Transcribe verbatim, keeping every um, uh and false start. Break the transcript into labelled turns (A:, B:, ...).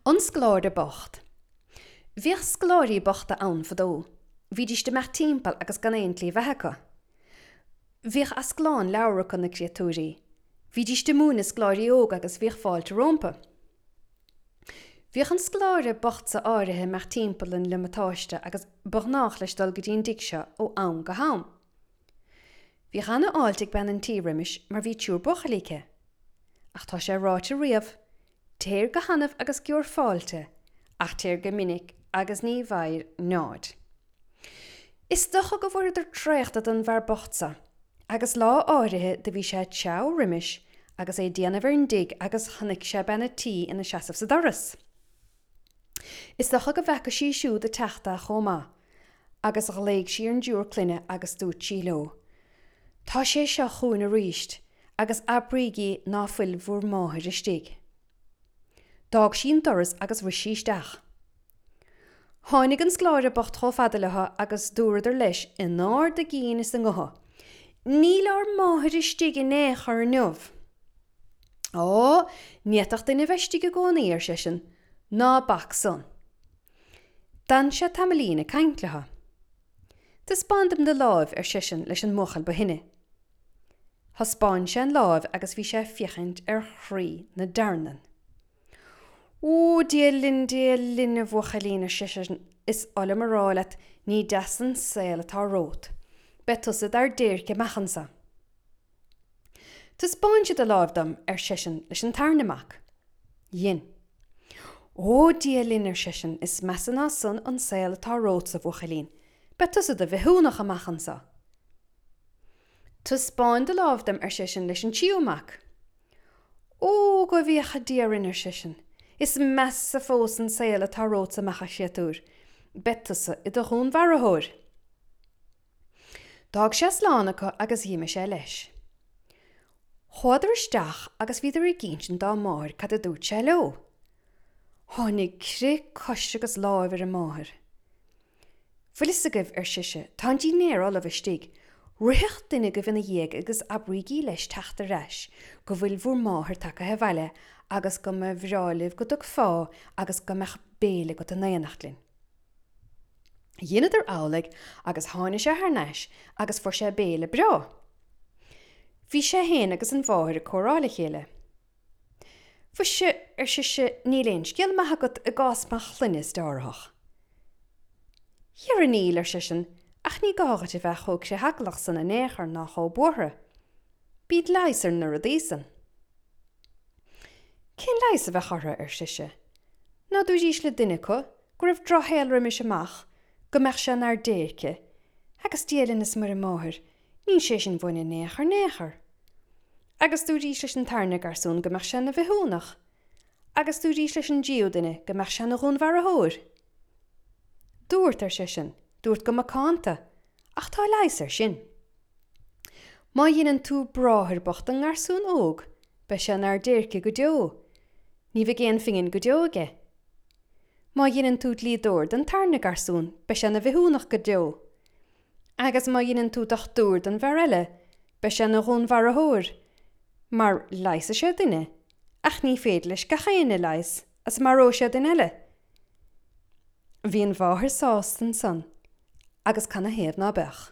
A: An Scoláire Bocht. Bhíodh scoláirí bochta ann fadó. Bhídís ag imeacht timpeall agus gan aon tslí bheatha acu. Bhíodh asclán leabhar acu na créatúirí. Bhídís ag múineadh scoláirí óga agus bhíodh fáilte rompu. Bhíodh an scoláire bocht seo áirithe ag imeacht timpeall an liomatáiste agus ba ghnách leis dul go dtí an dtigh seo ó am go ham. Bhíodh ana-fháilte ag bean an tí roimis mar bhí triúr buachaillí aici. Ach tá sé ráite riamh, téir go hannamh agus gheobhair fáilte, ach téir go minic agus ní bhfaighir nead. Is dócha go bhfuaireadar traochta den bhfear bocht seo, agus lá áirithe do bhí sé ag treabhadh roimis agus é ag déanamh ar an dtigh agus chonaic sé bean a' tí ina seasamh sa doras. Is dócha go bhfaca sí siúd ag teacht é chomh maith, agus ghlaoigh sí ar an dtriúr clainne agus dúirt sí leo, Tá sé seo chugainn arís agus abraígí ná fuil bhur máthair istigh. D'fhág sí an doras agus rith sí isteach. Tháinig an scoláire bocht chomh fada leo agus dúradar leis in ard a gcinn is a ngutha, Níl ár máthair istigh in aon chor inniu. Ó, ní fhéadfadh duine a bheith istigh i gcónaí, ar seisean, ná bac san. D'fhan sé tamaillín ag caint leo. Taispeáin dom do láimh, ar seisean leis an mbuachaill ba shine. Thaispeáin sé an láimh agus bhí sé ag féachaint ar chroí na dtearnann. Ó, Dia linn, Dia linn, a bhuachaillín, ar seisean, is oth liom a rá leat, ní deas an saol atá romhat. Beidh tusa dár déirc amach anso. Taispeáinse do láimh dom, ar seisean leis an tarna mac. Dhein. Ó, Dia linn, ar seisean, is measa ná san an saol atá romhatsa, a bhuachaillín. Beidh tusa i do bhithiúnach amach anso. Taispeáin do láimh dom, ar seisean leis an tríú mac. Ó, go bhféacha Dia orainn, ar seisean, is measa fós an saol atá romhatsa amach, a chréatúir. Beidh tusa i do dhúnmharaitheoir. D'fhág sé slán acu agus dh'imigh sé leis. Chuadar isteach agus bhíodar ag insint dá máthair cad a dúirt sé leo. Tháinig crith cois agus láimh ar an máthair. Bhfuil fhios agaibh, ar sise, tá an dinnéar ullamh istigh. Ritheadh duine agaibh ina dhiaidh agus abraígí leis teacht ar ais, go bhfuil bhur máthair tagaithe abhaile agus go mba bhreá libh go dtugfá agus go mbeadh béile agat in éineacht linn. Dheineadar amhlaidh agus tháinig sé thar n-ais agus fuair sé béile breá. Bhí sé fhéin agus an mháthair ag comhrá le chéile. Mhuise, ar sise, níl aon scéal maith agat i gcás mo chlainne is dearthách. Dhera níl, ar seisean, ach ní gá dhuit a bheith chomh critheaglach san in aon chor ná chomh buartha. Bíonn leigheas ar na rudaí san. Cén leigheas a bheadh orthu, ar sise. Ná dúraís le duine acu go raibh drochshaol roimis amach, go mbeadh sé inár déirce, agus Dia linn is Muire Máthair, níl sé sin uainn in aon chor in aon chor. Agus dúraís leis an tarna garsún go mbeadh sé ina bhithiúnach. Agus dúraís leis an dtríú duine go mbeadh sé ina dhúnmharaitheoir. Dúrt, ar seisean, dúrt go macánta, ach tá leigheas air sin. Má dheineann tú bráthair bocht don ngarsún óg, beidh sé inár déirce go deo. Ní bheidh aon phingin go deo aige. Má dheineann tú dlíodóir don tarna garsún, beidh sé ina bhithiúnach go deo. Agus má dheineann tú dochtúir don bhfear eile, beidh sé ina dhúnmharaitheoir, mar leigheasfaidh sé duine, ach ní féidir leis gach éinne a leigheas, is maróidh sé duine eile. Bhí an mháthair sásta ansan, agus canathaobh ná beadh?